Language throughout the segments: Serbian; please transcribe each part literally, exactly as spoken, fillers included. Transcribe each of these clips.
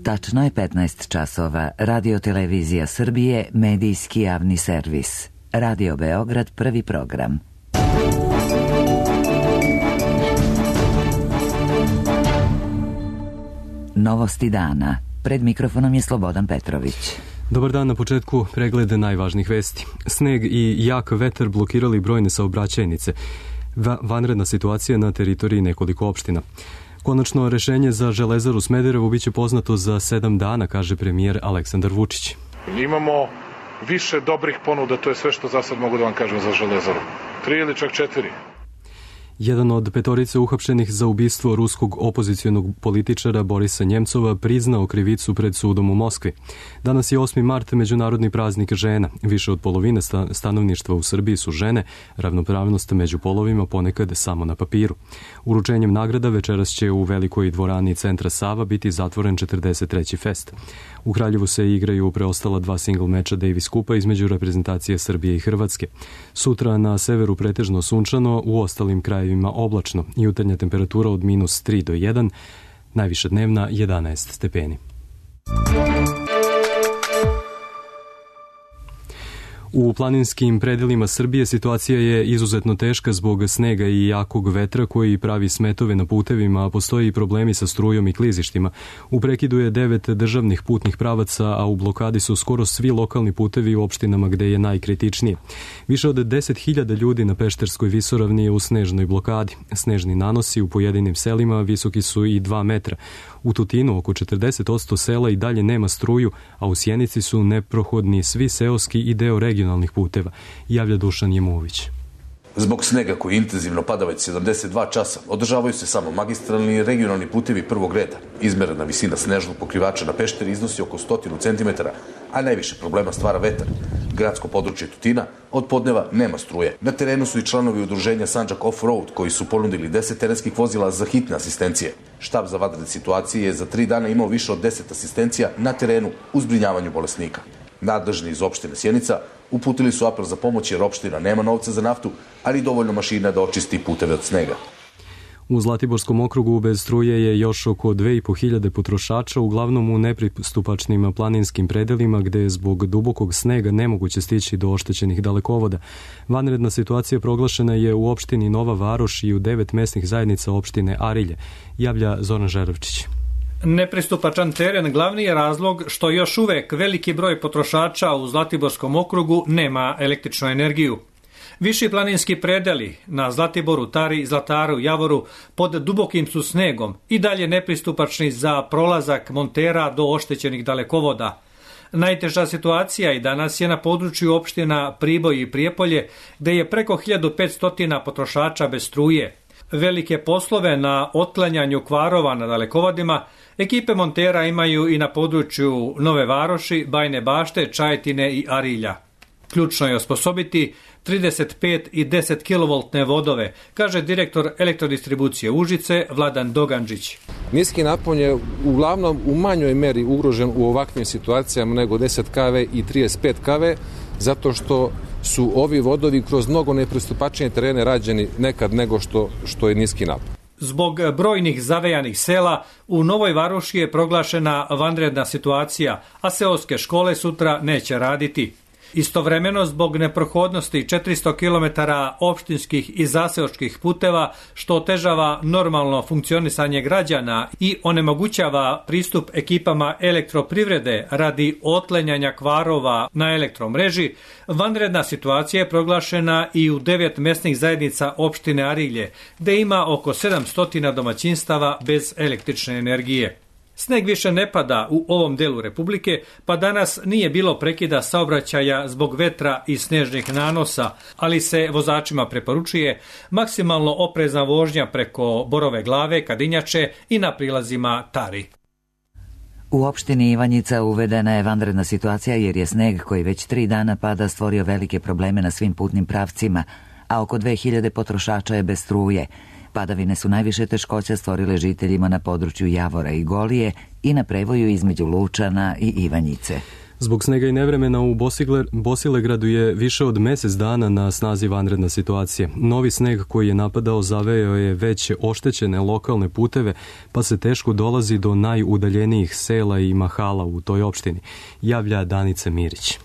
Tačno je petnaest časova. Radio Televizija Srbije, medijski javni servis. Radio Beograd, prvi program. Novosti dana. Pred mikrofonom je Slobodan Petrović. Dobar dan, na početku preglede najvažnijih vesti. Sneg i jak vetar blokirali brojne saobraćajnice. Va- vanredna situacija na teritoriji nekoliko opština. Konačno rešenje za Železaru Smederevo biće poznato za sedam dana, kaže premijer Aleksandar Vučić. Imamo više dobrih ponuda, to je sve što za sad mogu da vam kažem za Železaru. Tri ili čak četiri. Jedan od petorice uhapšenih za ubistvo ruskog opozicionog političara Borisa Njemcova priznao krivicu pred sudom u Moskvi. Danas je osmi mart, međunarodni praznik žena. Više od polovine stanovništva u Srbiji su žene, ravnopravnost među polovima ponekad samo na papiru. Uručenjem nagrada večeras će u velikoj dvorani centra Sava biti zatvoren četrdeset treći fest. U Kraljevu se igraju preostala dva single meča Davis Kupa između reprezentacije Srbije i Hrvatske. Sutra na severu pretežno sunčano, u ostalim krajevima oblačno. Jutarnja temperatura od minus tri do jedan, najviša dnevna jedanaest stepeni. U planinskim predelima Srbije situacija je izuzetno teška zbog snega i jakog vetra koji pravi smetove na putevima, a postoji i problemi sa strujom i klizištima. U prekidu je devet državnih putnih pravaca, a u blokadi su skoro svi lokalni putevi u opštinama gde je najkritičnije. Više od deset hiljada ljudi na Pešterskoj visoravni je u snežnoj blokadi. Snežni nanosi u pojedinim selima visoki su i dva metra. U Tutinu oko četrdeset posto sela i dalje nema struju, a u Sjenici su neprohodni svi seoski i deo regionalnih puteva, javlja Dušan Jemović. Zbog snega koji intenzivno pada već sedamdeset dva časa, održavaju se samo magistralni i regionalni putevi prvog reda. Izmerena visina snežnog pokrivača na Pešteri iznosi oko stotinu centimetara, a najviše problema stvara vetar. Gradsko područje Tutina od podneva nema struje. Na terenu su i članovi udruženja Sandžak Off-Road koji su ponudili deset terenskih vozila za hitne asistencije. Štab za vanredne situacije je za tri dana imao više od deset asistencija na terenu u zbrinjavanju bolesnika. Nadležni iz opštine Sjenica uputili su apel za pomoć jer opština nema novca za naftu, ali dovoljno mašina da očisti puteve od snega. U Zlatiborskom okrugu bez struje je još oko dve i po hiljade potrošača, uglavnom u nepristupačnim planinskim predelima gde je zbog dubokog snega nemoguće stići do oštećenih dalekovoda. Vanredna situacija proglašena je u opštini Nova Varoš i u devet mesnih zajednica opštine Arilje, javlja Zoran Žeravčić. Nepristupačan teren glavni je razlog što još uvek veliki broj potrošača u Zlatiborskom okrugu nema električnu energiju. Viši planinski predeli na Zlatiboru, Tari, Zlataru, Javoru pod dubokim su snegom i dalje nepristupačni za prolazak montera do oštećenih dalekovoda. Najteža situacija i danas je na području opština Priboj i Prijepolje, gde je preko hiljadu petsto potrošača bez struje. Velike poslove na otklanjanju kvarova na dalekovodima ekipe montera imaju i na području Nove Varoši, Bajne Bašte, Čajetine i Arilja. Ključno je osposobiti trideset pet i deset kilovoltne vodove, kaže direktor elektrodistribucije Užice Vladan Dogandžić. Niski napon je uglavnom u manjoj meri ugrožen u ovakvim situacijama nego deset kilovoltnih i trideset pet kilovoltnih, zato što su ovi vodovi kroz mnogo nepristupačnije terene rađeni nekad nego što, što je niski napon. Zbog brojnih zavejanih sela, u Novoj Varoši je proglašena vanredna situacija, a seoske škole sutra neće raditi. Istovremeno, zbog neprohodnosti četiristo kilometara opštinskih i zaseočkih puteva, što otežava normalno funkcionisanje građana i onemogućava pristup ekipama elektroprivrede radi otklanjanja kvarova na elektromreži, vanredna situacija je proglašena i u devet mesnih zajednica opštine Arilje, gde ima oko sedamsto domaćinstava bez električne energije. Sneg više ne pada u ovom delu Republike, pa danas nije bilo prekida saobraćaja zbog vetra i snežnih nanosa, ali se vozačima preporučuje maksimalno oprezna vožnja preko Borove Glave, Kadinjače i na prilazima Tari. U opštini Ivanjica uvedena je vanredna situacija jer je sneg koji već tri dana pada stvorio velike probleme na svim putnim pravcima, a oko dve hiljade potrošača je bez struje. Padavine su najviše teškoća stvorile žiteljima na području Javora i Golije i na prevoju između Lučana i Ivanjice. Zbog snega i nevremena u Bosilegradu je više od mjesec dana na snazi vanredna situacija. Novi sneg koji je napadao zaveo je već oštećene lokalne puteve, pa se teško dolazi do najudaljenijih sela i mahala u toj opštini, javlja Danica Mirić.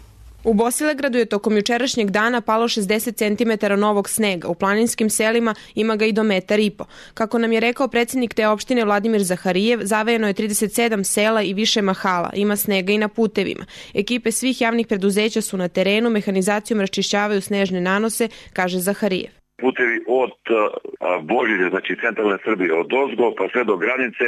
U Bosilegradu je tokom jučerašnjeg dana palo šezdeset centimetara novog snega. U planinskim selima ima ga i do metar i po. Kako nam je rekao predsjednik te opštine Vladimir Zaharijev, zavejeno je trideset sedam sela i više mahala. Ima snega i na putevima. Ekipe svih javnih preduzeća su na terenu, mehanizacijom raščišćavaju snežne nanose, kaže Zaharijev. Putevi od Božilja, znači centralne Srbije, od ozgo pa sve do granice,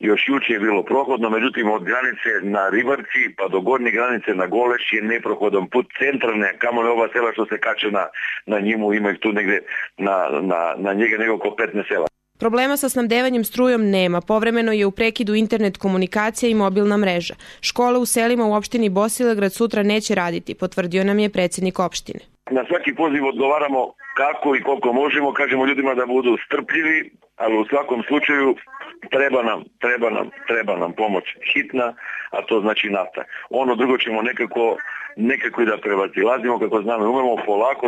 još juče je bilo prohodno, međutim od granice na Ribarci pa do gornje granice na Goleš je neprohodan put centralne, kamoli ova sela što se kače na, na njimu, ima ih tu negde na, na, na njega nego oko petnaest sela. Problema sa snabdevanjem strujom nema. Povremeno je u prekidu internet komunikacija i mobilna mreža. Škole u selima u opštini Bosilegrad sutra neće raditi, potvrdio nam je predsjednik opštine. Na svaki poziv odgovaramo kako i koliko možemo, kažemo ljudima da budu strpljivi, ali u svakom slučaju treba nam, treba nam, treba nam pomoć hitna, a to znači nafta. Ono drugo ćemo nekako, nekako i da prevazilazimo, kako znamo, umemo polako,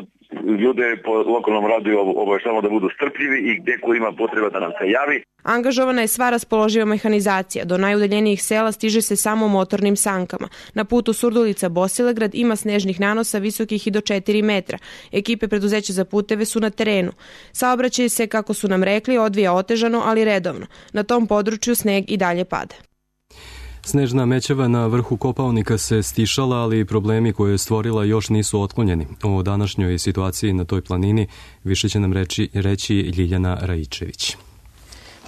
ljude po lokalnom radu obaveštavamo da budu strpljivi i gdje ko ima potreba da nam se javi. Angažovana je sva raspoloživa mehanizacija. Do najudaljenijih sela stiže se samo motornim sankama. Na putu Surdulica Bosilegrad ima snežnih nanosa visokih i do četiri metra. Ekipe preduzeća za puteve su na terenu. Saobraćaj se, kako su nam rekli, odvija otežano, ali redovno. Na tom području sneg i dalje pada. Snežna mećava na vrhu Kopaonika se stišala, ali problemi koje je stvorila još nisu otklonjeni. O današnjoj situaciji na toj planini više će nam reći, reći Ljiljana Rajičević.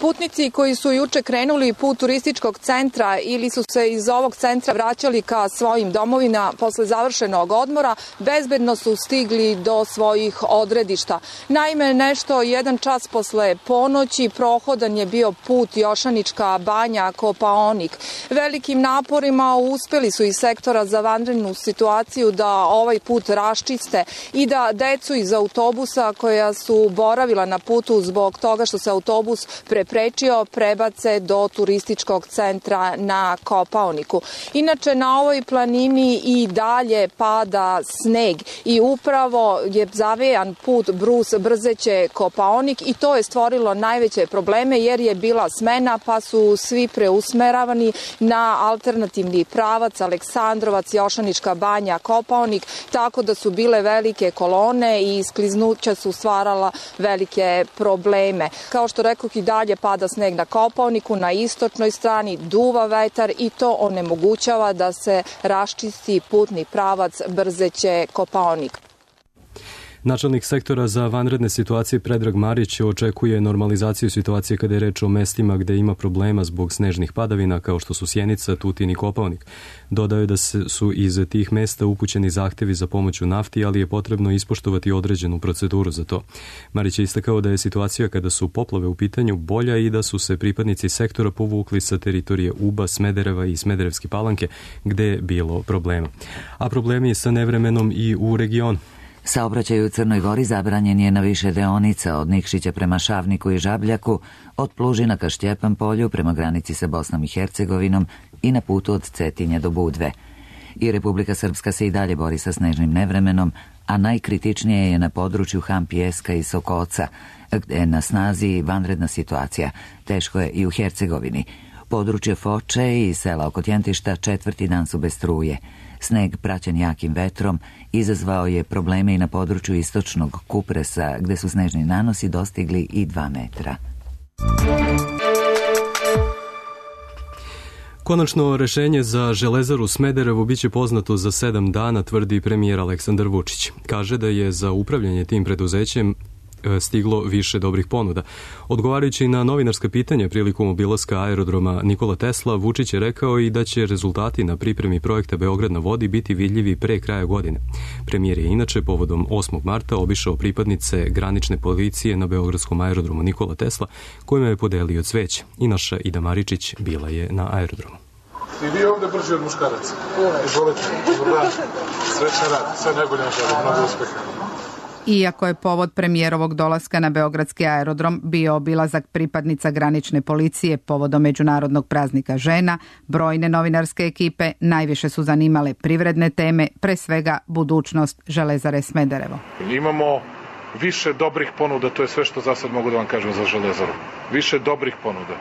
Putnici koji su juče krenuli put turističkog centra ili su se iz ovog centra vraćali ka svojim domovina posle završenog odmora, bezbedno su stigli do svojih odredišta. Naime, nešto jedan čas posle ponoći prohodan je bio put Jošanička banja Kopaonik. Velikim naporima uspeli su iz sektora za vanrednu situaciju da ovaj put raščiste i da decu iz autobusa koja su boravila na putu zbog toga što se autobus pre prečio prebace do turističkog centra na Kopaoniku. Inače, na ovoj planini i dalje pada sneg i upravo je zavejan put Brus Brzeće Kopaonik i to je stvorilo najveće probleme jer je bila smena pa su svi preusmeravani na alternativni pravac Aleksandrovac, Jošanička banja, Kopaonik, tako da su bile velike kolone i skliznuća su stvarala velike probleme. Kao što rekoh, i dalje pada sneg na Kopaoniku, na istočnoj strani duva vetar i to onemogućava da se raščisti putni pravac Brzeće Kopaonik. Načelnik sektora za vanredne situacije Predrag Marić očekuje normalizaciju situacije kada je reč o mestima gde ima problema zbog snežnih padavina kao što su Sjenica, Tutin i Kopaonik. Dodao je da su iz tih mesta upućeni zahtevi za pomoć u nafti, ali je potrebno ispoštovati određenu proceduru za to. Marić je istakao da je situacija kada su poplave u pitanju bolja i da su se pripadnici sektora povukli sa teritorije Uba, Smedereva i Smederevske Palanke gde je bilo problema. A problemi sa nevremenom i u regionu. Saobraćaj u Crnoj Gori zabranjen je na više deonica od Nikšića prema Šavniku i Žabljaku, od Plužina ka Štjepan polju prema granici sa Bosnom i Hercegovinom i na putu od Cetinja do Budve. I Republika Srpska se i dalje bori sa snežnim nevremenom, a najkritičnije je na području Han Pijeska i Sokoca, gde je na snazi vanredna situacija. Teško je i u Hercegovini. Područje Foče i sela oko Tjentišta četvrti dan su bez struje. Sneg praćen jakim vetrom izazvao je probleme i na području istočnog Kupresa, gde su snežni nanosi dostigli i dva metra. Konačno rešenje za Železaru Smederevo biće poznato za sedam dana, tvrdi premijer Aleksandar Vučić. Kaže da je za upravljanje tim preduzećem stiglo više dobrih ponuda. Odgovarajući na novinarska pitanja prilikom obilaska aerodroma Nikola Tesla, Vučić je rekao i da će rezultati na pripremi projekta Beograd na vodi biti vidljivi pre kraja godine. Premijer je inače povodom osmog marta obišao pripadnice granične policije na beogradskom aerodromu Nikola Tesla, kojima je podelio cveće. I naša Ida Maričić bila je na aerodromu. I vi ovde brži od muškaraca. Izvolite, dobar dan. Srećan rad, sve najbolje vam želim, mnogo uspeha. Iako je povod premijerovog dolaska na beogradski aerodrom bio obilazak pripadnica granične policije povodom Međunarodnog praznika žena, brojne novinarske ekipe najviše su zanimale privredne teme, pre svega budućnost Železare Smederevo. Imamo više dobrih ponuda, to je sve što za sad mogu da vam kažem za Železaru. Više dobrih ponuda,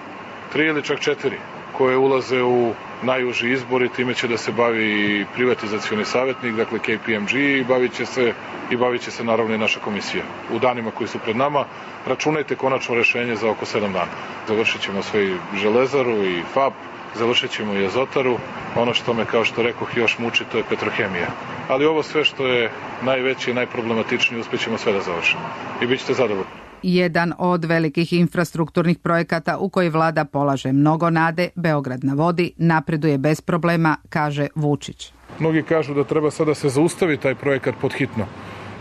tri ili čak četiri, koje ulaze u najuži izbor i time će da se bavi i privatizacioni savjetnik, dakle K P M G, i bavit će se, i bavit će se naravno i naša komisija. U danima koji su pred nama računajte konačno rešenje za oko sedam dana. Završit ćemo sve i Železaru i F A P, završit ćemo i Azotaru. Ono što me, kao što rekoh, još muči, to je Petrohemija. Ali ovo sve što je najveće i najproblematičnije, uspjećemo sve da završimo. I bit ćete zadovoljni. Jedan od velikih infrastrukturnih projekata u koji vlada polaže mnogo nade, Beograd na vodi, napreduje bez problema, kaže Vučić. Mnogi kažu da treba sada se zaustavi taj projekat podhitno.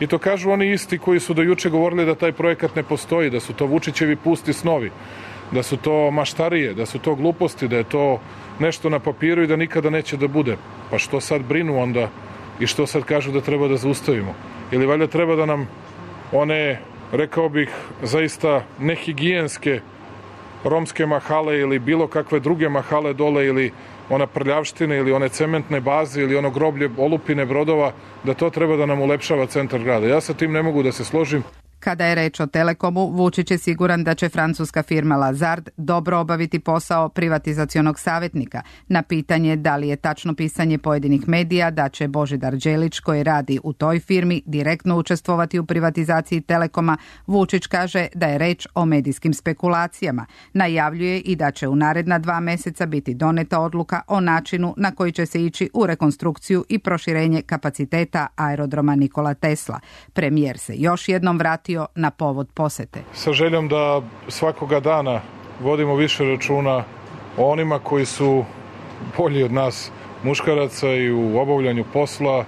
I to kažu oni isti koji su do juče govorili da taj projekat ne postoji, da su to Vučićevi pusti snovi, da su to maštarije, da su to gluposti, da je to nešto na papiru i da nikada neće da bude. Pa što sad brinu onda i što sad kažu da treba da zaustavimo? Ili valjda treba da nam one, rekao bih, zaista nehigijenske romske mahale ili bilo kakve druge mahale dole ili ona prljavština ili one cementne baze ili ono groblje olupine brodova, da to treba da nam ulepšava centar grada. Ja sa tim ne mogu da se složim. Kada je reč o Telekomu, Vučić je siguran da će francuska firma Lazard dobro obaviti posao privatizacionog savjetnika. Na pitanje da li je tačno pisanje pojedinih medija da će Božidar Đelić, koji radi u toj firmi, direktno učestvovati u privatizaciji Telekoma, Vučić kaže da je reč o medijskim spekulacijama. Najavljuje i da će u naredna dva meseca biti doneta odluka o načinu na koji će se ići u rekonstrukciju i proširenje kapaciteta aerodroma Nikola Tesla. Premijer se još jednom vrati na povod posete. Sa željom da svakoga dana vodimo više računa o onima koji su bolji od nas muškaraca i u obavljanju posla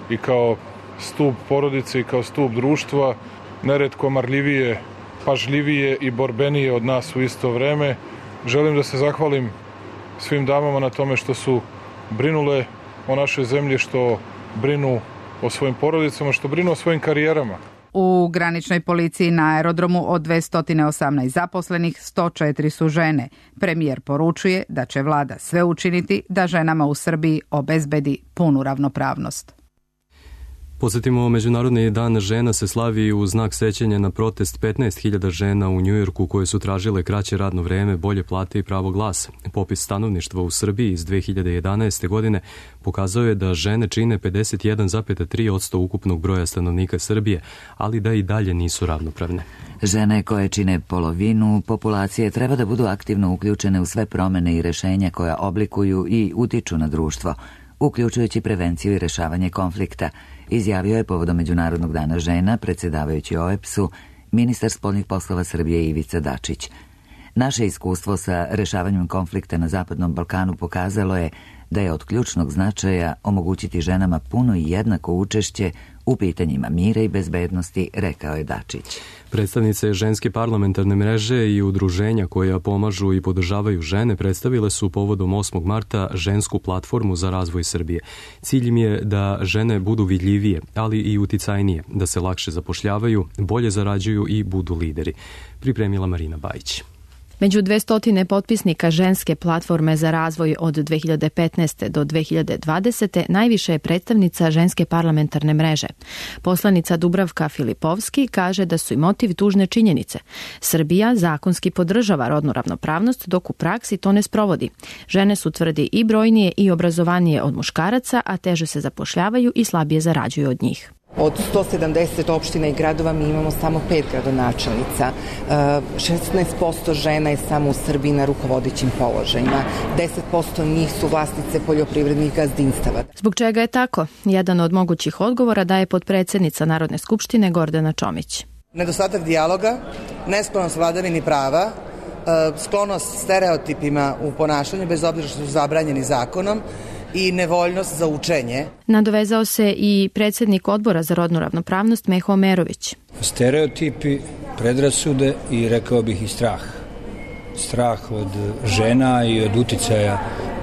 i kao stub porodice i kao stub društva, neretko marljivije, pažljivije i borbenije od nas u isto vreme. Želim da se zahvalim svim damama na tome što su brinule o našoj zemlji, što brinu o svojim porodicama, što brinu o svojim karijerama. U graničnoj policiji na aerodromu od dvesta osamnaest zaposlenih sto četiri su žene. Premijer poručuje da će vlada sve učiniti da ženama u Srbiji obezbedi punu ravnopravnost. Podsjetimo, Međunarodni dan žena se slavi u znak sećanja na protest petnaest hiljada žena u Njujorku koje su tražile kraće radno vreme, bolje plate i pravo glasa. Popis stanovništva u Srbiji iz dve hiljade jedanaeste. godine pokazao je da žene čine pedeset jedan zarez tri posto ukupnog broja stanovnika Srbije, ali da i dalje nisu ravnopravne. Žene koje čine polovinu populacije treba da budu aktivno uključene u sve promene i rešenja koja oblikuju i utiču na društvo, uključujući prevenciju i rešavanje konflikta, izjavio je povodom Međunarodnog dana žena, predsjedavajući O E B S-u, ministar spoljnih poslova Srbije Ivica Dačić. Naše iskustvo sa rešavanjem konflikta na Zapadnom Balkanu pokazalo je da je od ključnog značaja omogućiti ženama puno i jednako učešće u pitanjima mira i bezbednosti, rekao je Dačić. Predstavnice ženske parlamentarne mreže i udruženja koja pomažu i podržavaju žene predstavile su povodom osmog marta žensku platformu za razvoj Srbije. Cilj im je da žene budu vidljivije, ali i uticajnije, da se lakše zapošljavaju, bolje zarađuju i budu lideri. Pripremila Marina Bajić. Među dvesta potpisnika ženske platforme za razvoj od dve hiljade petnaeste. do dve hiljade dvadesete. najviše je predstavnica ženske parlamentarne mreže. Poslanica Dubravka Filipovski kaže da su i motiv tužne činjenice. Srbija zakonski podržava rodnu ravnopravnost, dok u praksi to ne sprovodi. Žene su, tvrdi, i brojnije i obrazovanije od muškaraca, a teže se zapošljavaju i slabije zarađuju od njih. Od sto sedamdeset opština i gradova mi imamo samo pet gradonačelnica. šesnaest posto žena je samo u Srbiji na rukovodećim položajima. deset posto njih su vlasnice poljoprivrednih gazdinstava. Zbog čega je tako? Jedan od mogućih odgovora daje potpredsednica Narodne skupštine Gordana Čomić. Nedostatak dijaloga, nesklonost vladavini prava, sklonost stereotipima u ponašanju, bez obzira što su zabranjeni zakonom, i nevoljnost za učenje. Nadovezao se i predsjednik odbora za rodnu ravnopravnost Meho Omerović. Stereotipi, predrasude i, rekao bih, i strah. Strah od žena i od uticaja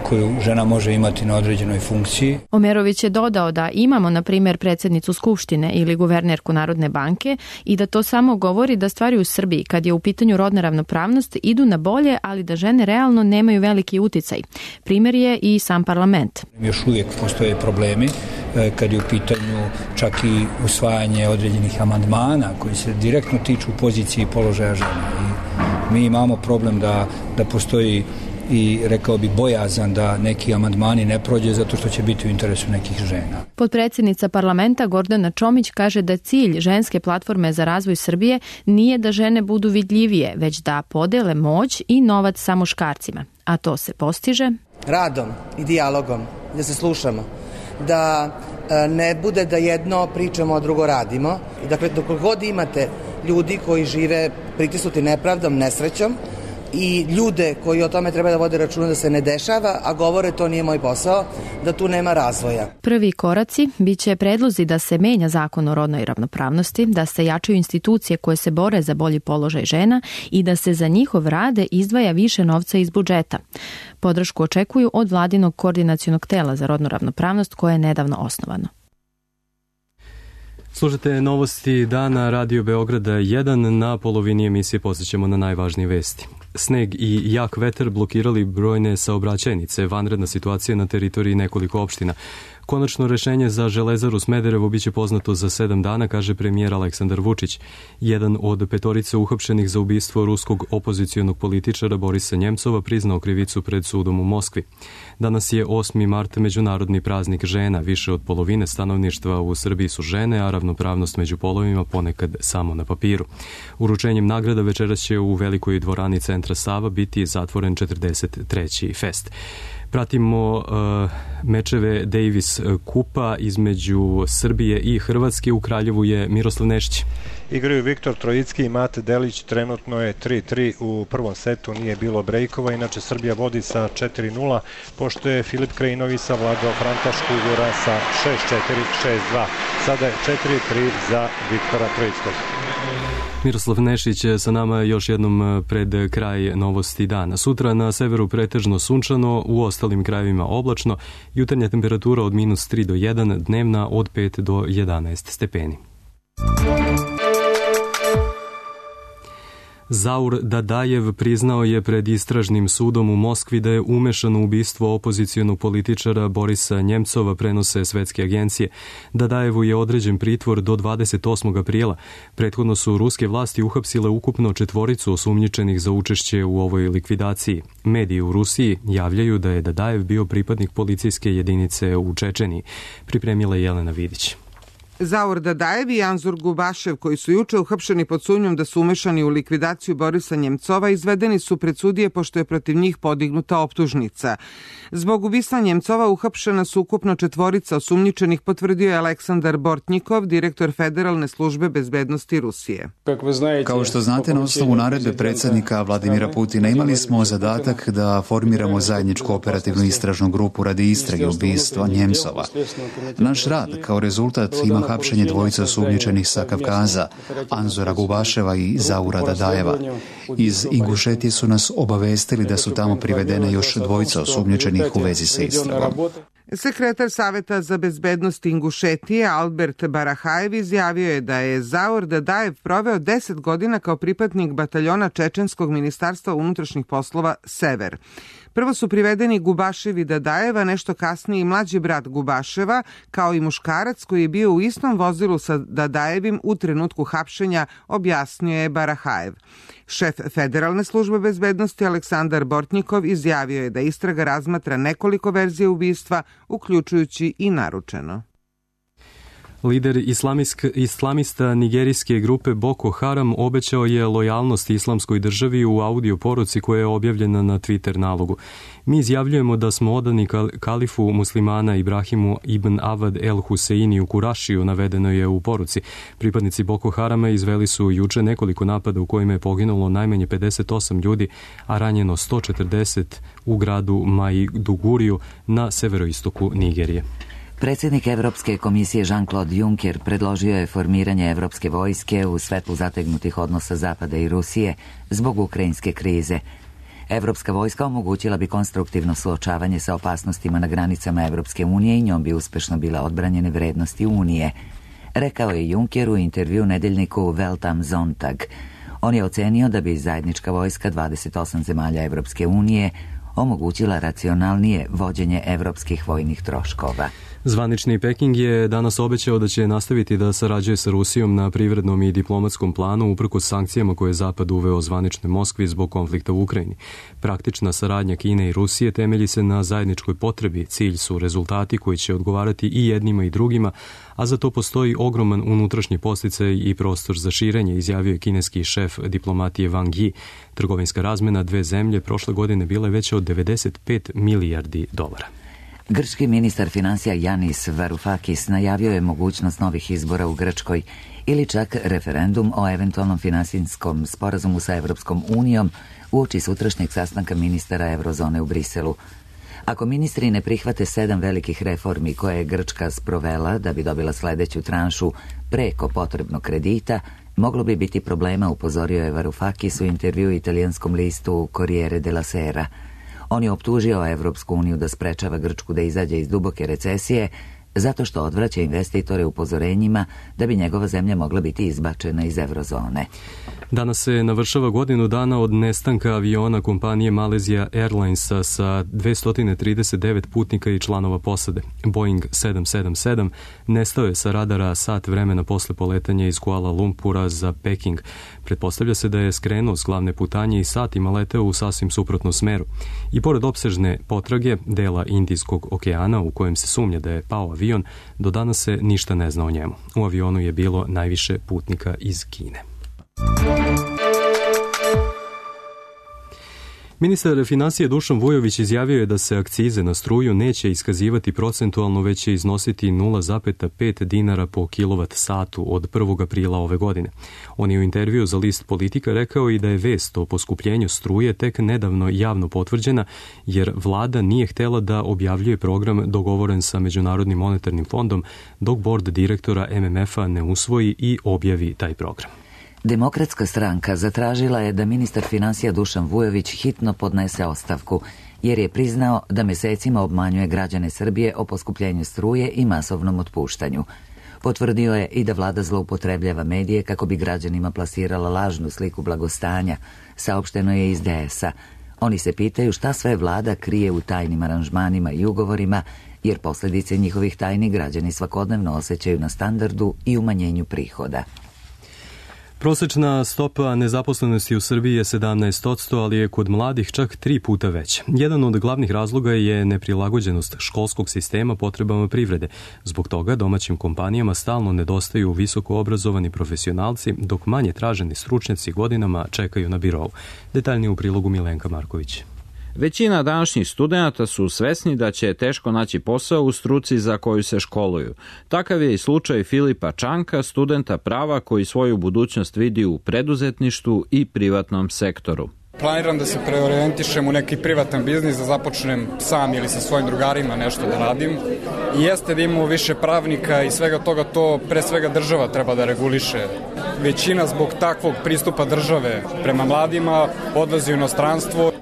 koju žena može imati na određenoj funkciji. Omerović je dodao da imamo, na primjer, predsjednicu Skupštine ili guvernerku Narodne banke i da to samo govori da stvari u Srbiji, kad je u pitanju rodna ravnopravnost, idu na bolje, ali da žene realno nemaju veliki uticaj. Primjer je i sam parlament. Još uvijek postoje problemi kad je u pitanju čak i usvajanje određenih amandmana koji se direktno tiču pozicije i položaja žena. I mi imamo problem da, da postoji i rekao bi bojazan da neki amandmani ne prođe zato što će biti u interesu nekih žena. Potpredsjednica parlamenta Gordana Čomić kaže da cilj ženske platforme za razvoj Srbije nije da žene budu vidljivije, već da podele moć i novac sa muškarcima. A to se postiže radom i dijalogom, da se slušamo, da ne bude da jedno pričamo, a drugo radimo. Dakle, dok god imate ljudi koji žive pritisnuti nepravdom, nesrećom, i ljude koji o tome treba da vode računa da se ne dešava, a govore to nije moj posao, da tu nema razvoja. Prvi koraci biće predlozi da se menja zakon o rodnoj ravnopravnosti, da se jačaju institucije koje se bore za bolji položaj žena i da se za njihov rad izdvaja više novca iz budžeta. Podršku očekuju od vladinog koordinacionog tela za rodnu ravnopravnost koje je nedavno osnovano. Slušajte novosti dana Radio Beograda jedan, na polovini emisije posjećamo na najvažnije vesti. Sneg i jak vetar blokirali brojne saobraćajnice, vanredna situacija na teritoriji nekoliko opština. Konačno rešenje za Železaru Smederevo biće poznato za sedam dana, kaže premijer Aleksandar Vučić. Jedan od petorice uhapšenih za ubistvo ruskog opozicionog političara Borisa Njemcova priznao krivicu pred sudom u Moskvi. Danas je osmi mart, međunarodni praznik žena. Više od polovine stanovništva u Srbiji su žene, a ravnopravnost među polovima ponekad samo na papiru. Uručenjem nagrada večeras će u velikoj dvorani centra Sava biti zatvoren četrdeset treći fest. Pratimo uh, mečeve Davis kupa između Srbije i Hrvatske. U Kraljevu je Miroslav Nešić. Igraju Viktor Trojicki i Mate Delić, trenutno je tri tri u prvom setu, nije bilo brejkova, inače Srbija vodi sa četiri nula, pošto je Filip Krajinović savladao Franta Škugora sa šest četiri, šest dva. Sada je četiri tri za Viktora Trojickog. Miroslav Nešić sa nama još jednom pred kraj novosti dana. Sutra na severu pretežno sunčano, u ostalim krajevima oblačno, jutarnja temperatura od minus tri do jedan, dnevna od pet do jedanaest stepeni. Zaur Dadajev priznao je pred istražnim sudom u Moskvi da je umešan u ubistvo opozicionog političara Borisa Njemcova, prenose svetske agencije. Dadajevu je određen pritvor do dvadeset osmog aprila. Prethodno su ruske vlasti uhapsile ukupno četvoricu osumnjičenih za učešće u ovoj likvidaciji. Mediji u Rusiji javljaju da je Dadajev bio pripadnik policijske jedinice u Čečeniji. Pripremila je Jelena Vidić. Zaur Dadajev i Anzur Gubašev, koji su juče uhapšeni pod sumnjom da su umešani u likvidaciju Borisa Njemcova, izvedeni su pred sudije pošto je protiv njih podignuta optužnica. Zbog ubistva Njemcova uhapšena su ukupno četvorica osumnjičenih, potvrdio je Aleksandar Bortnikov, direktor Federalne službe bezbednosti Rusije. Kao što znate, na osnovu naredbe predsjednika Vladimira Putina imali smo zadatak da formiramo zajedničku operativnu istražnu grupu radi istrage ubistva Njemcova. Naš rad kao rezultat ima hapšenje dvojice osumnjičenih sa Kavkaza, Anzora Gubaševa i Zaura Dadajeva. Iz Ingušetije su nas obavestili da su tamo privedene još dvojica osumnjičenih u vezi sa istragom. Sekretar Saveta za bezbednost Ingušetije Albert Barahajev izjavio je da je Zaur Dadajev proveo deset godina kao pripadnik bataljona Čečenskog ministarstva unutrašnjih poslova Sever. Prvo su privedeni Gubašev i Dadajeva, nešto kasnije i mlađi brat Gubaševa, kao i muškarac koji je bio u istom vozilu sa Dadajevim u trenutku hapšenja, objasnio je Barahajev. Šef Federalne službe bezbednosti Aleksandar Bortnikov izjavio je da istraga razmatra nekoliko verzija ubistva, uključujući i naručeno. Lider islamisk, islamista nigerijske grupe Boko Haram obećao je lojalnost islamskoj državi u audio poruci koja je objavljena na Twitter nalogu. Mi izjavljujemo da smo odani kalifu muslimana Ibrahimu ibn Avad el Huseini u Kurašiju, navedeno je u poruci. Pripadnici Boko Harama izveli su juče nekoliko napada u kojima je poginulo najmanje pedeset osam ljudi, a ranjeno sto četrdeset u gradu Maiduguriju na severoistoku Nigerije. Predsjednik Evropske komisije Jean-Claude Juncker predložio je formiranje Evropske vojske u svetlu zategnutih odnosa Zapada i Rusije zbog ukrajinske krize. Evropska vojska omogućila bi konstruktivno suočavanje sa opasnostima na granicama Evropske unije i njom bi uspešno bila odbranjene vrednosti Unije, rekao je Juncker u intervju nedeljniku Welt am Sonntag. On je ocenio da bi zajednička vojska dvadeset osam zemalja Evropske unije omogućila racionalnije vođenje evropskih vojnih troškova. Zvanični Peking je danas obećao da će nastaviti da sarađuje sa Rusijom na privrednom i diplomatskom planu uprkos sankcijama koje je Zapad uveo zvaničnoj Moskvi zbog konflikta u Ukrajini. Praktična saradnja Kine i Rusije temelji se na zajedničkoj potrebi. Cilj su rezultati koji će odgovarati i jednima i drugima, a za to postoji ogroman unutrašnji podsticaj i prostor za širenje, izjavio je kineski šef diplomatije Wang Yi. Trgovinska razmena dve zemlje prošle godine bila je veća od devedeset pet milijardi dolara. Grčki ministar financija Yanis Varoufakis najavio je mogućnost novih izbora u Grčkoj ili čak referendum o eventualnom finansijskom sporazumu sa Evropskom unijom uoči sutrašnjeg sastanka ministara Eurozone u Briselu. Ako ministri ne prihvate sedam velikih reformi koje je Grčka sprovela da bi dobila sledeću tranšu preko potrebnog kredita, moglo bi biti problema, upozorio je Varoufakis u intervju italijanskom listu Corriere della Sera. On je optužio Evropsku uniju da sprečava Grčku da izađe iz duboke recesije zato što odvraća investitore upozorenjima da bi njegova zemlja mogla biti izbačena iz eurozone. Danas se navršava godinu dana od nestanka aviona kompanije Malaysia Airlinesa sa dvesta trideset devet putnika i članova posade. Boeing sedam sedam sedam nestao je sa radara sat vremena posle poletanja iz Kuala Lumpura za Peking. Pretpostavlja se da je skrenuo s glavne putanje i satima leteo u sasvim suprotnom smeru. I pored opsežne potrage dela Indijskog okeana u kojem se sumnja da je pao avion, do danas se ništa ne zna o njemu. U avionu je bilo najviše putnika iz Kine. Ministar financija Dušan Vujović izjavio je da se akcize na struju neće iskazivati procentualno, već će iznositi nula zarez pet dinara po kilovat satu od prvog aprila ove godine. On je u intervju za list Politika rekao i da je vest o poskupljenju struje tek nedavno javno potvrđena, jer vlada nije htela da objavljuje program dogovoren sa Međunarodnim monetarnim fondom, dok bord direktora M M F-a ne usvoji i objavi taj program. Demokratska stranka zatražila je da ministar financija Dušan Vujović hitno podnese ostavku, jer je priznao da mesecima obmanjuje građane Srbije o poskupljenju struje i masovnom otpuštanju. Potvrdio je i da vlada zloupotrebljava medije kako bi građanima plasirala lažnu sliku blagostanja, saopšteno je iz D S-a. Oni se pitaju šta sve vlada krije u tajnim aranžmanima i ugovorima, jer posljedice njihovih tajni građani svakodnevno osjećaju na standardu i umanjenju prihoda. Prosečna stopa nezaposlenosti u Srbiji je sedamnaest posto, ali je kod mladih čak tri puta veća. Jedan od glavnih razloga je neprilagođenost školskog sistema potrebama privrede. Zbog toga domaćim kompanijama stalno nedostaju visoko obrazovani profesionalci, dok manje traženi stručnjaci godinama čekaju na birovu. Detaljnije u prilogu Milenka Marković. Većina današnjih studenata su svesni da će teško naći posao u struci za koju se školuju. Takav je i slučaj Filipa Čanka, studenta prava koji svoju budućnost vidi u preduzetništvu i privatnom sektoru. Planiram da se preorijentišem u neki privatan biznis, da započnem sam ili sa svojim drugarima nešto da radim. I jeste da imamo više pravnika i svega toga, to pre svega država treba da reguliše. Većina zbog takvog pristupa države prema mladima odlazi u inostranstvo.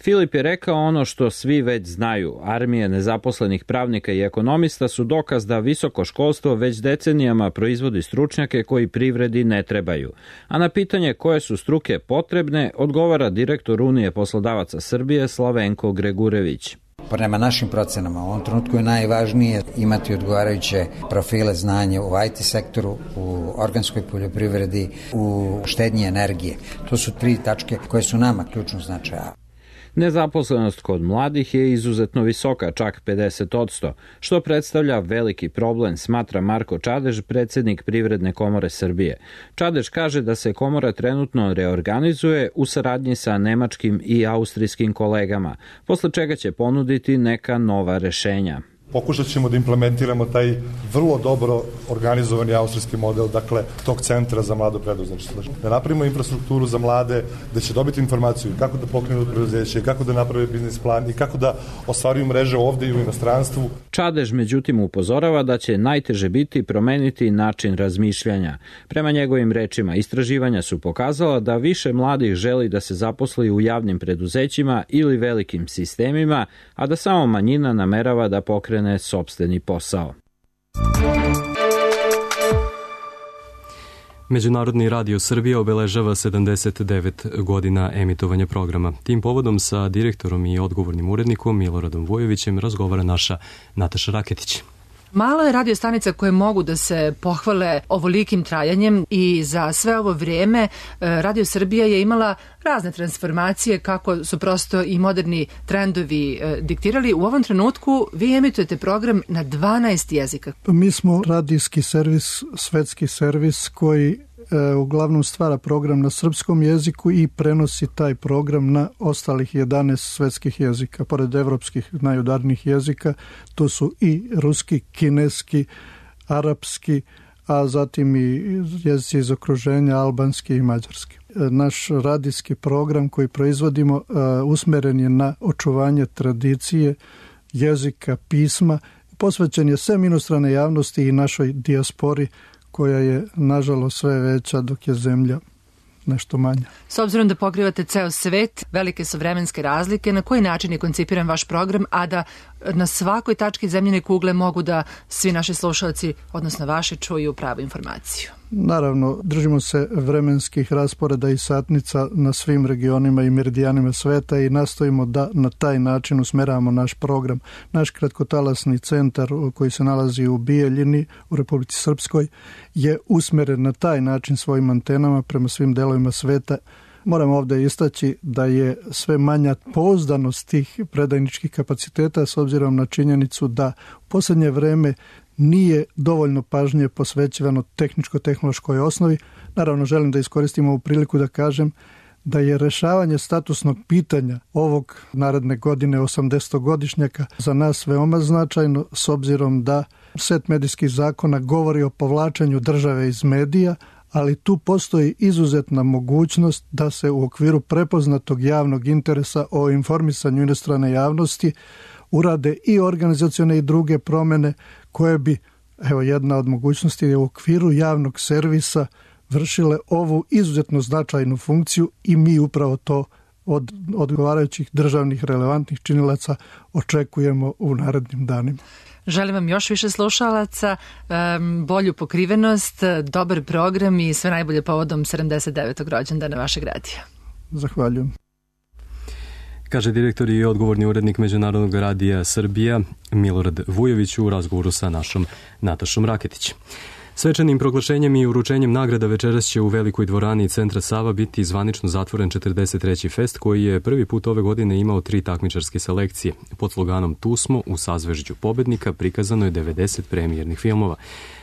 Filip je rekao ono što svi već znaju. Armije nezaposlenih pravnika i ekonomista su dokaz da visoko školstvo već decenijama proizvodi stručnjake koji privredi ne trebaju. A na pitanje koje su struke potrebne, odgovara direktor Unije poslodavaca Srbije Slavenko Gregurević. Prema našim procenama, u ovom trenutku je najvažnije imati odgovarajuće profile znanja u I T sektoru, u organskoj poljoprivredi, u štednji energije. To su tri tačke koje su nama ključno značaja. Nezaposlenost kod mladih je izuzetno visoka, čak pedeset posto, što predstavlja veliki problem, smatra Marko Čadež, predsjednik Privredne komore Srbije. Čadež kaže da se komora trenutno reorganizuje u saradnji sa nemačkim i austrijskim kolegama, posle čega će ponuditi neka nova rešenja. Pokušat ćemo da implementiramo taj vrlo dobro organizovani austrijski model, dakle, tog centra za mlado preduzetništvo. Da napravimo infrastrukturu za mlade, da će dobiti informaciju kako da pokrenu preduzeće, kako da naprave biznis plan i kako da ostvaruju mreže ovde i u inostranstvu. Čadež, međutim, upozorava da će najteže biti promeniti način razmišljanja. Prema njegovim rečima, istraživanja su pokazala da više mladih želi da se zaposli u javnim preduzećima ili velikim sistemima, a da samo manjina namerava da pokrene sopstveni posao. Međunarodni radio Srbije obeležava sedamdeset devet godina emitovanja programa. Tim povodom sa direktorom i odgovornim urednikom Miloradom Vujovićem razgovara naša Nataša Raketić. Malo je radio stanica koje mogu da se pohvale ovolikim trajanjem i za sve ovo vrijeme Radio Srbija je imala razne transformacije kako su prosto i moderni trendovi diktirali. U ovom trenutku vi emitujete program na dvanaest jezika. Mi smo radijski servis, svetski servis koji uglavnom stvara program na srpskom jeziku i prenosi taj program na ostalih jedanaest svetskih jezika. Pored evropskih najudarnijih jezika, to su i ruski, kineski, arapski, a zatim i jezici iz okruženja, albanski i mađarski. Naš radijski program koji proizvodimo usmeren je na očuvanje tradicije, jezika, pisma, posvećen je sem inostrane javnosti i našoj dijaspori, koja je, nažalost, sve veća dok je zemlja nešto manja. S obzirom da pokrivate ceo svet, velike su vremenske razlike, na koji način je koncipiran vaš program, a da na svakoj tački zemljine kugle mogu da svi naši slušalci, odnosno vaši, čuju pravu informaciju? Naravno, držimo se vremenskih rasporeda i satnica na svim regionima i meridijanima sveta i nastojimo da na taj način usmeravamo naš program. Naš kratkotalasni centar koji se nalazi u Bijeljini u Republici Srpskoj je usmeren na taj način svojim antenama prema svim delovima sveta. Moram ovdje istaći da je sve manja pouzdanost tih predajničkih kapaciteta s obzirom na činjenicu da u posljednje vreme nije dovoljno pažnje posvećivano tehničko-tehnološkoj osnovi. Naravno, želim da iskoristim ovu priliku da kažem da je rešavanje statusnog pitanja ovog naredne godine osamdesetogodišnjaka za nas veoma značajno s obzirom da set medijskih zakona govori o povlačenju države iz medija, ali tu postoji izuzetna mogućnost da se u okviru prepoznatog javnog interesa o informisanju inostrane javnosti urade i organizacione i druge promjene koje bi, evo jedna od mogućnosti je u okviru javnog servisa vršile ovu izuzetno značajnu funkciju i mi upravo to od odgovarajućih državnih relevantnih činilaca očekujemo u narednim danima. Želim vam još više slušalaca, bolju pokrivenost, dobar program i sve najbolje povodom sedamdeset devetog rođendana vašeg radija. Zahvaljujem. Kaže direktor i odgovorni urednik Međunarodnog radija Srbija Milorad Vujović u razgovoru sa našom Natašom Raketić. Svečanim proglašenjem i uručenjem nagrada večeras će u Velikoj dvorani Centra Sava biti zvanično zatvoren četrdeset treći fest koji je prvi put ove godine imao tri takmičarske selekcije. Pod sloganom Tu smo u sazvežđu pobednika prikazano je devedeset premijernih filmova.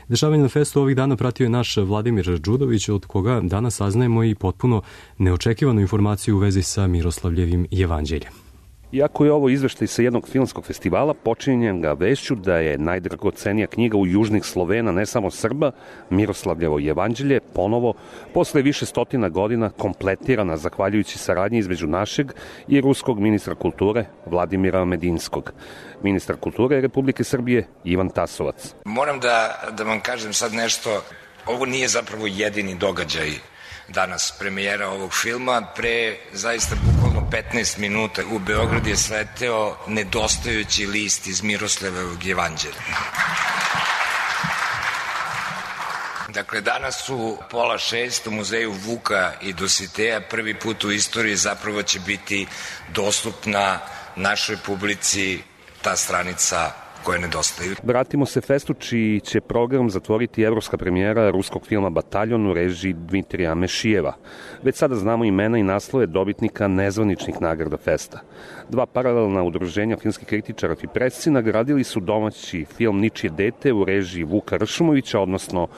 Dešavanje na festu ovih dana pratio je naš Vladimir Đudović, od koga danas saznajemo i potpuno neočekivanu informaciju u vezi sa Miroslavljevim jevanđeljem. Iako je ovo izveštaj sa jednog filmskog festivala, počinjem ga vešću da je najdragocenija knjiga u južnih Slovena, ne samo Srba, Miroslavljevo jevanđelje, ponovo, posle više stotina godina, kompletirana zahvaljujući saradnji između našeg i ruskog ministra kulture Vladimira Medinskog. Ministar kulture Republike Srbije Ivan Tasovac. Moram da, da vam kažem sad nešto, ovo nije zapravo jedini događaj danas premijera ovog filma. Pre zaista bukvalno petnaest minuta u Beograd je sleteo nedostajući list iz Miroslavljevog jevanđelja. Dakle, danas u pola šest u muzeju Vuka i Dositeja prvi put u istoriji zapravo će biti dostupna našoj publici ta stranica koje nedostaju. Vratimo se festu čiji će program zatvoriti evropska premijera ruskog filma Bataljon u režiji Dmitrija Mešijeva. Već sada znamo imena i naslove dobitnika nezvaničnih nagrada festa. Dva paralelna udruženja filmskih kritičara i presci nagradili su domaći film Ničije dete u režiji Vuka Ršumovića, odnosno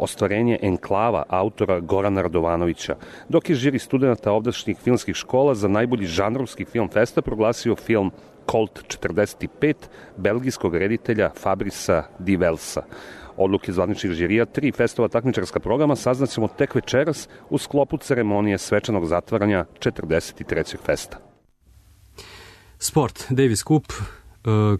ostvarenje Enklava autora Gorana Radovanovića, dok je žiri studenta ovdašnjih filmskih škola za najbolji žanrovski film festa proglasio film Colt četrdeset pet belgijskog reditelja Fabrisa Di Velsa. Odluke zvaničnih žirija tri festova takmičarska programa saznaćemo tek večeras u sklopu ceremonije svečanog zatvaranja četrdeset trećeg festa. Sport, Davis Cup,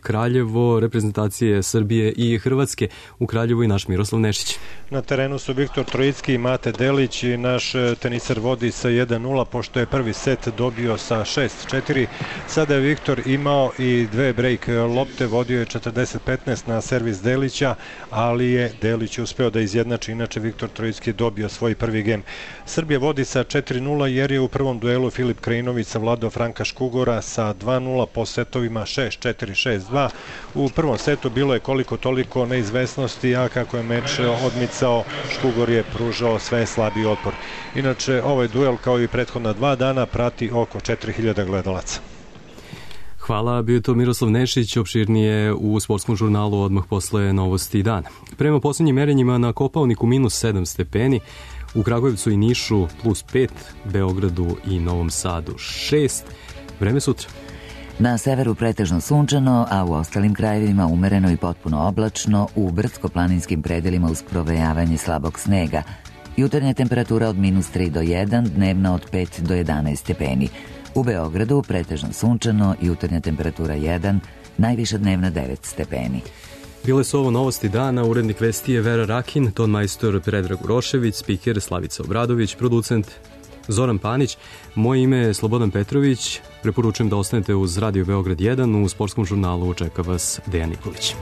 Kraljevo, reprezentacije Srbije i Hrvatske. U Kraljevu i naš Miroslav Nešić. Na terenu su Viktor Trojicki i Mate Delić i naš teniser vodi sa jedan nula pošto je prvi set dobio sa šest četiri. Sada je Viktor imao i dve break lopte, vodio je četrdeset petnaest na servis Delića, ali je Delić uspeo da izjednači, inače Viktor Trojicki dobio svoj prvi gem. Srbija vodi sa četiri nula jer je u prvom duelu Filip Krajinović savladao Franka Škugora sa dva nula po setovima šest četiri šest dva. U prvom setu bilo je koliko toliko neizvesnosti, a kako je meč odmicao, Škugor je pružao sve slabiji otpor. Inače, ovaj duel kao i prethodna dva dana prati oko četiri hiljade gledalaca. Hvala, bio je to Miroslav Nešić, opširnije u sportskom žurnalu odmah posle novosti dana. Prema poslednjim merenjima na Kopaoniku minus sedam stepeni, u Kragujevcu i Nišu plus pet, Beogradu i Novom Sadu šest. Vreme sutra. Na severu pretežno sunčano, a u ostalim krajevima umereno i potpuno oblačno, u brdsko-planinskim predelima uz provejavanje slabog snega. Jutarnja temperatura od minus tri do jedan, dnevna od pet do jedanaest stepeni. U Beogradu pretežno sunčano, jutarnja temperatura jedan, najviša dnevna devet stepeni. Bile su ovo novosti dana, urednik vesti je Vera Rakin, ton majstor Predrag Urošević, spiker Slavica Obradović, producent Zoran Panić. Moje ime je Slobodan Petrović. Preporučujem da ostanete uz Radio Beograd jedan. U sportskom žurnalu čeka vas Dejan Nikolić.